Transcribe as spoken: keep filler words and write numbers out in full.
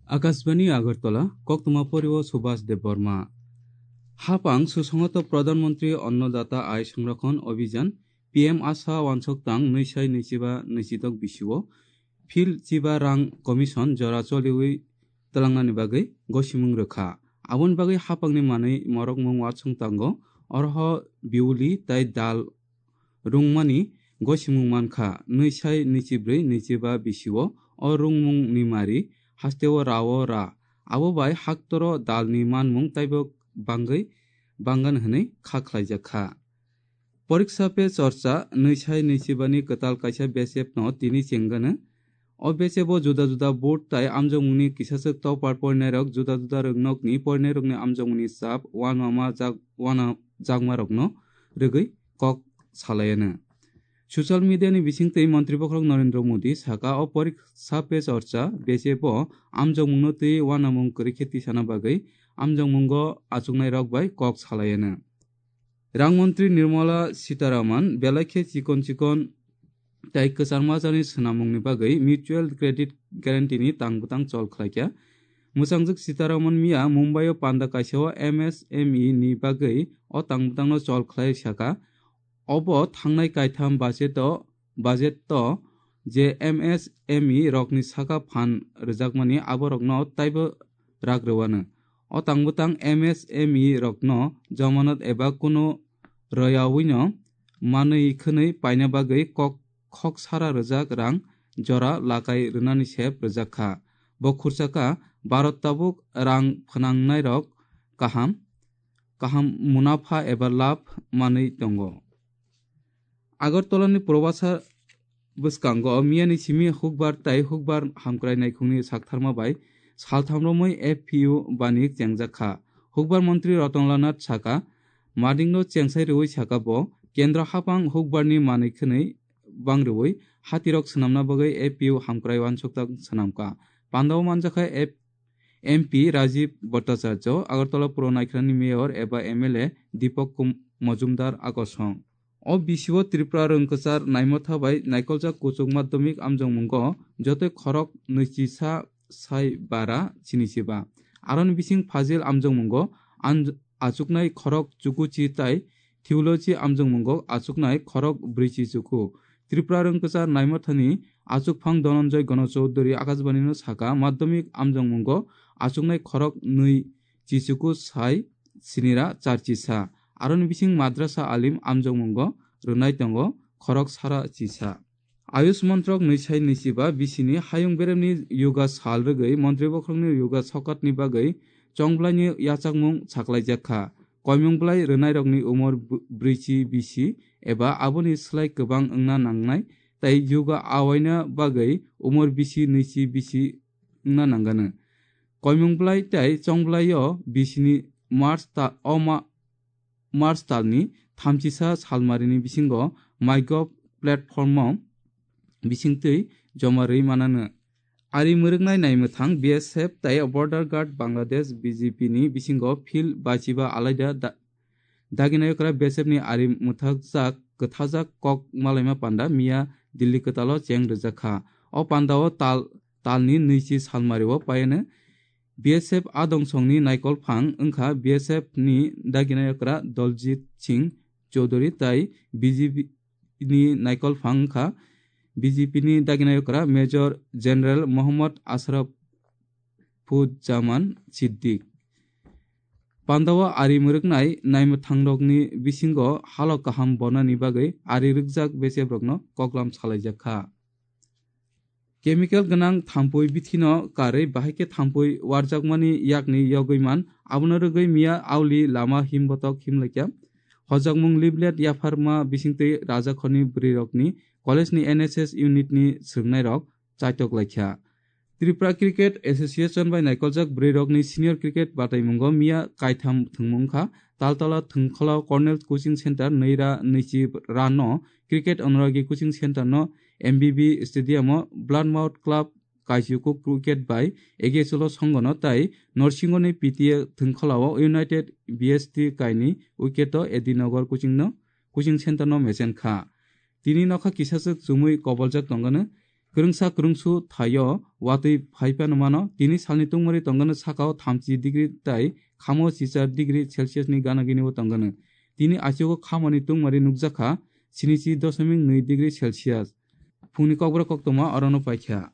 Akashbani Agartala, koktwma porio Subhas Debbarma. Hapang susongoto Pradhan Mantri Annadata Aay Sanrakshan Abhiyan, P M Asha wansok tang nwi sai nwi chiba nwi chidok bisio, phil chiba rang commission jora choliwi twlangnani bagwi gosimung rwkha. Aboni bagwi hapangni manwi morokmung wansong tango, orho biuli tai dal rungmani gosimung mankha, nwi sai nwi chibrwi nwi chiba bisio o rungmungni mari hasteo rao ra. Abo bai haktoro dalni manmung taibo bangwi banggan hwnwi kha khlaijakha. Poriksa pe chorcha nwi sai nwi chibani kwtal kaisa besepno tini chengano. O besebo juda juda board tai amjokmungni kisaswk topar porinairok juda juda rwngnokni porinairokni amjokmungni chap uanama jak-, uana jakmarokno rwgwi kok salaiano. Social media ni bisingtwi Montri Bokhorok Narendra Modi saka o poriksa pe chorcha besebo amjokmungno twi uanamung kwrwi khe tisana bagwi amjokmungo achuknairok bai kok salaiano. Rang Montri Nirmala Sitharaman belai khe chikon chikon tai kwchangma jani swnamungni bagwi mutual credit guarantee ni tang bwtang chol khlaikha. Mwchangjwk Sitharaman miya Mumbai o panda kaisa o M S M E ni bagwi o tang bwtangno chol khlai saka. Obo thangnai kaitham budget o, budget o je M S M E rokni saka phan rwjakmani aborokno taibo rak rwano. O tang bwtang M S M E rokno jamanat eba kunu rwyaui no manwi khwnwi paina bagwi kok khok sara rwjak rang jora lakai rwnani sep rwjak kha. Bo khursa kha Bharat tabuk rang phnangnairok kaham, kaham munapha eba labh manwi tongo. Agartala ni Probasa bwskango miyani simi hukbar tai hukbar hamkrai naikhungni saktharma bai saltham romwi F P U bani chengjak kha. Hukbar montri Ratanlal Nath saka, madingno chengsai rwui saka bo, kendro hapang hukbarni manwi khwnwi bang rwui hatirok swnamna bagwi F P U hamkrai uansukthang swnamkha. Pandao manjakha F-, M P Rajiv Bhattacharya, Agartala Puro Naikhrani Mayor eba M L A Deepak Kum-, Majumdar Akosong. O bisio Tripura rwngkwchar naimotha bai naikoljak kuchuk madhyamik amjokmungo jotoi khorok nwichisa sai bara chinichiba. Aroni bising Fazil amjokmungo anj-, achuknai khorok chukuchi tai Theology amjokmungo achuknai khorok brwichi chuku. Tripura rwngkwchar naimothani achukphang Dhananjay Gana Chowdhury Akashbani no saka madhyamik amjokmungo achuknai khorok nwi chichuku sai sinira charchisa. Aroni bising madrasa alim amjokmungo rwnai tongo khorok sara chisa. Ayush montrok nwi sai nwi chiba bisini hayung beremni yoga sal rwgwi montri bokhorokni yoga sokatni bagwi chongblaini yachakmung saklaijak kha. Koimung bwlai rwnairokni umor bw-, brwichi bisi eba aboni slai kwbang wngna nangnai tei yoga awaina bagwi umor bisi nwichi bisi wngna nangano. Koimung bwlai tei chongblaio bisini March ta-, o ma-, March talni thamchisa salmarini bisingo MyGov platform-o bisingtwi joma rwi manano. Ari mwrwknai naimwthang B S F tei Border Guard Bangladesh B G P ni bisingo phil bachiba alaida da-, daginayokra B S F ni ari mwthakjak kwthajak kok malaima panda miya Delhi kwtalo cheng rwjak kha. O pandao tal, talni nwichi salmario payano B S F adongsongni naikolphang wngkha B S F ni daginayokra Daljit Singh Chowdhury tai B G P ni naikolphang wngkha B G P ni daginayokra Major General Mohammad Ashrafuzzaman Siddique. Pandao ari mwrwknai naimwthangrokni bisingo halok kaham bonani bagwi ari rwkjak B S F rokno koklam salaijak kha. Chemical gwnang thampui bithino karwi bahai khe thampui warjakmani yakni yogwi man, abono rwgwi miya auli lama himbotok himlaikya. Hojakmung leaflet yapharma bisingtwi rajakhorni bwrwirokni college ni N S S unit ni swrwngnairok chaitok laikha. Tripura Cricket Association bai naikoljak bwrwirokni senior cricket bataimungo miya kaitham thwngmung kha. Taltala Thwngkholo Cornell Coaching Center nwi ra nwichi rano Cricket Anuragi Coaching Center no M B B Stadium o Bloodmouth Club kaisiku cricket bai A G S L o songono tai Norsingoni P T A Thwngkholo o United B S T kaini wicket o A D Nagar Coaching no coaching center no mechen kha. Tini nokha kisachwk chumui koboljak tongano, kwrwngsa kwrwngsu thaio watwi phaiphano mano. Tini salni tungmari tongano sakao thamchi degree tai khamo chichar degree Celsius ni gana gini bo tongano. Tini achugo khamoni tungmari nukjakha sinichi doshomik nwi degree Celsius. Phungni kokborok koktwma orono paikha.